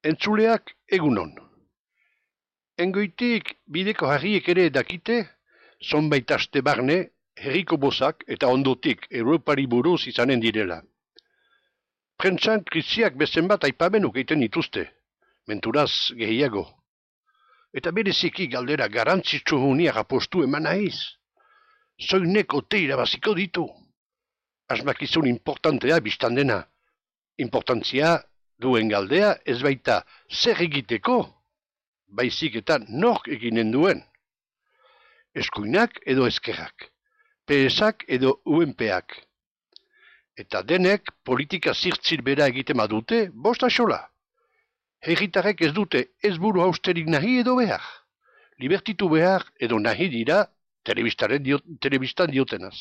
Entzuleak egunon. Engoitik bideko harriek ere dakite, zonbait aste barne, herriko bozak eta ondotik Europari buruz izanen direla. Prentsan krisiak bezen bat aipamenuk egiten dituzte, menturaz gehiago. Eta bereziki galdera garantzitsu huniak apostu eman nahiz. Zoinek ote irabaziko ditu. Asmakizun importantea biztan dena. Importantzia duen galdea ez baita zer egiteko, baizik eta nork eginen duen. Eskuinak edo eskerrak, PSak edo UNPak. Eta denek politika zirtzir bera egiten badute, bost axola. Herritarrek ez dute ez buru hausterik nahi edo behar. Libertitu behar edo nahi dira telebistan diotenaz.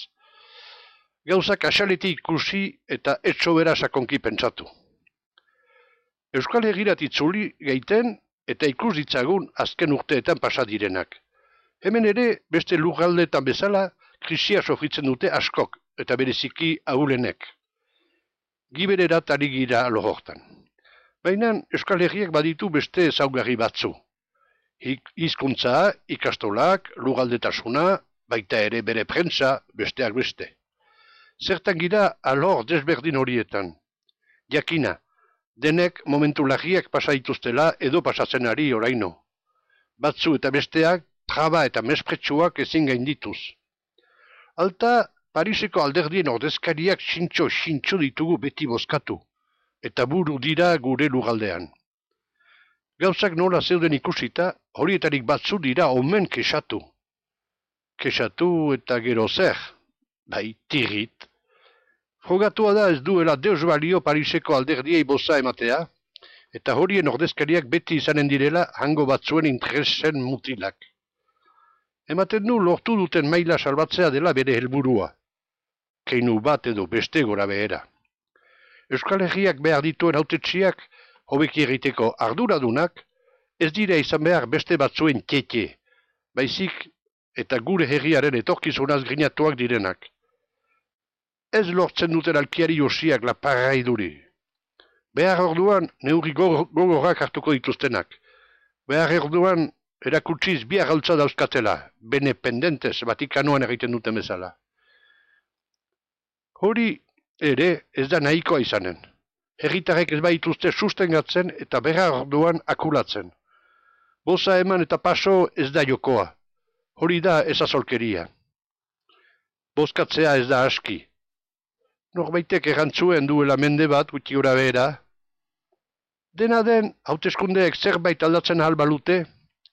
Gauzak asaletik ikusi eta etxo bera sakonki pentsatu. Euskal Herrirat itzuli gaiten eta ikus ditzagun azken urteetan pasadirenak. Hemen ere beste lurraldeetan bezala krisia sofritzen dute askok eta bereziki ahulenek. Gibererat ari gira lohortan. Baina Euskal Herriak baditu beste ezaugarri batzu. Hizkuntza, ikastolak, lurraldetasuna, baita ere bere prentsa, besteak beste. Zertan gira alor desberdin horietan. Jakina, denek momentu larriak pasaituztela edo pasatzen ari oraino. Batzu eta besteak, traba eta mespretsuak ezin gaindituz. Alta, Pariseko alderdien ordezkariak xintxo ditugu beti bozkatu, eta buru dira gure lurraldean. Gauzak nola zeuden ikusita, horietarik batzu dira omen kexatu. Kexatu eta gero zer, bai tirrit. Frogatua da ez duela deus balio Pariseko alderdiei boza ematea, eta horien ordezkariak beti izanen direla hango batzuen interesen mutilak. Ematen du lortu duten maila salbatzea dela bere helburua. Keinu bat edo beste gora behera. Euskal Herriak behar dituen hautetsiak hobeki egiteko arduradunak ez dira izan behar beste batzuen tete, baizik eta gure herriaren etorkizunaz grinatuak direnak. Ez lortzen duten alkiari josiak laparrai duri. Behar orduan neurri gogorrak hartuko dituztenak. Behar orduan erakutsiz biar galtza dauzkatela, bene pendentez Vatikanoan egiten duten bezala. Hori ere ez da nahikoa izanen. Herritarrek ez baituzte sustengatzen eta behar orduan akulatzen. Boza eman eta paso ez da jokoa. Hori da ezazolkeria. Bozkatzea ez da aski. Norbaitek errantzuen duela mende bat gutxi gora behera. Dena den, hauteskundeek zerbait aldatzen ahal balute,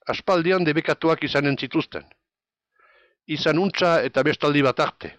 aspaldian debekatuak izanen zituzten. Izan untza eta bestaldi bat arte.